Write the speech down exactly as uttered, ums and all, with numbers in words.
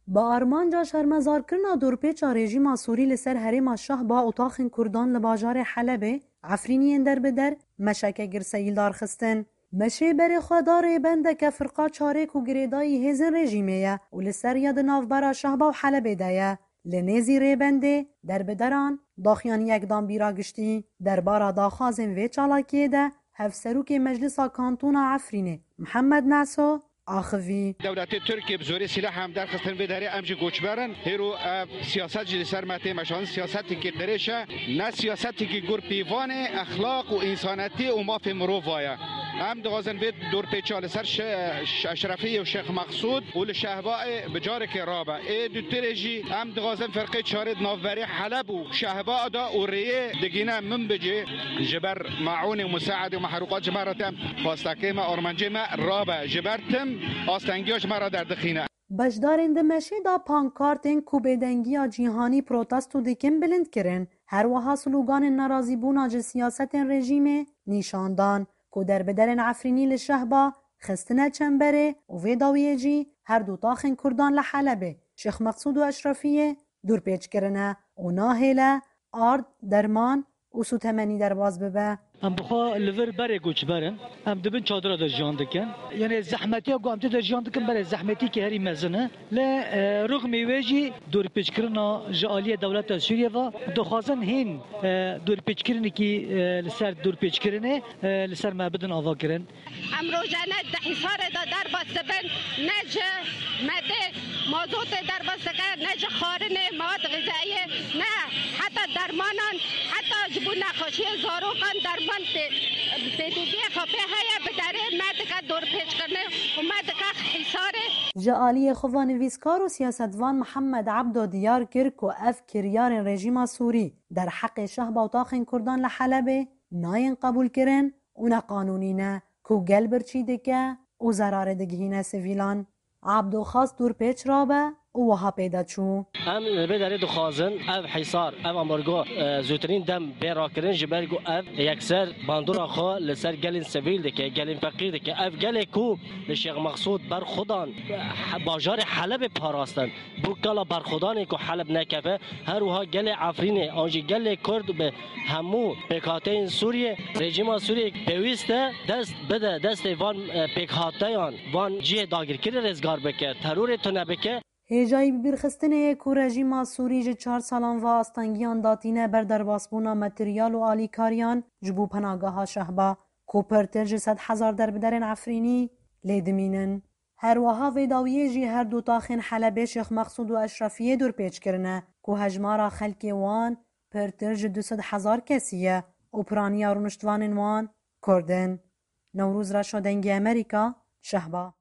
Bi armanca şermezarkirina dorpêça rejîma Sûrî li ser herêma Şehba û taxên Kurdan li bajarê Helebê, Efrîniyên derbider meşeke girseyî li dar xistin. Meşê berê xwe da rêbendeke firqa çarê ku girêdayî hêzên rejîmê ye û li ser ya di navbera Şehba û Helebê de ye. Li nêzî rêbendê derbideran daxiyaniye danbîra giştî. Derbara daxwazên vê çalakiyê de Hevserokê Meclisa Kantona Efrînê Mihemed Neso axivî. Dewletê Tirkiyê bi zorê sîleh em derxistin vê derê, em jî koçber in. Hêro ev siyaset jî li ser me tê meşandin, siyasetekî qirêş e. Ne siyasetekî gur pîvanê, exlaq û însanetî û mafê mirova ye. Em dixwazin vê dorpêça li ser Şe-, Şe-, Eşrefiyê û Şêx Mexsûd û li Şehbayê bi carekê rabe. Ê dutirê jî em dixwazin ferqê çarê di navberê Heleb û Şehba de û rêyê digîne Minbicê. Ji ber maûnê û musaedê û mehrûqat ji me re tem xwestekê me, armancê me rabe. Ji ber tim astengiya ji me re derdixîne. Beşdarên di meşê de pankartên ku bêdengiya cîhanî protesto dikin bilind kirin. Her wiha sloganên nerazîbûna ji siyasetên rejîmê nîşan dan ku derbiderên Efrînî li Şehba xistine çemberê û vê dawiyê jî her du taxên Kurdan li Helebê, Şêx Meqsûd û Eşrefiyê, dûrpêç kirine û nahêle ard, derman û sûtemenî derbas bibe. Em bi xwe li vir berê koçber in. Em di bin çadira de jiyan dikin. Yanê zehmetiya ku em tê de jiyan dikin, berê zehmetîkî herî mezin e. Lê, e, rixmê wê jî dorpêçkirina ji aliyê dewleta Sûriyê ve dixwazin hîn, e, dorpêçkirinekî, e, li ser dorpêçkirinê, e, li ser me bidin avakirin. Em rojane di hîsarê de derbas dibin, ne ji medê mazotê derbas dike, ne ji xwarinê mewad xizayiyê, ne heta dermanan, heta ji bo nexweşiyê zarokan derman pê, pêdiviyê xwe pê heye, bi derê me dike dorpêçkirinê û me dike hîsarê. Ji aliyê xwe ve nivîskar û siyasetvan Mihemed Ebdo diyar kir ku ev kiryarên rejîma Sûrî derheqê Şehba û taxên Kurdan li Helebê nayên qebûlkirin û neqanûnî ne, ku gel birçî dike û zerarê digihîne sivîlan. Abdo xwest dûrpêç rabe û wiha pê de çû. Em li vê derê dixwazin ev hîsar, ev ambargo, e, zûtirîn dem bê rakirin, ji ber ku ev yekser bandora xwe li ser gelên sivîl dike, gelên feqîr dike. Ev gelê ku li Şêx Mexsûd berxwe dan, e, bajarê Helebê parastin. Bo kala berxwedanê ku Heleb nekeve, her wiha gelê Efrînê an jî gelê Kurd bi hemû pêkhateyên Sûriyê, rejîma Sûriyê pêwîst e dest bide destê van, e, pêkhateyan, van cihê dagirkirî rêzgar bike, terorê tune bike. Hêjayî bibîrxistinê ye ku rejîma Sûrî ji çar salan ve astengiyan datîne ber derbasbûna materyal û alîkariyan ji bo penageha Şehba, ku pirtir ji sed hezar derbiderên Efrînî lê dimînin. Her wiha vê dawiyê jî her du taxên Helebê Şêx Mexsûd û Eşrefiyê dûrpêç kirine, ku hejmara xelkê wan pirtir ji du sed hezar kesî ye û piraniya rûniştvanên wan Kurd in. Newrûz Reşo, Dengê Amerîka, Şehba.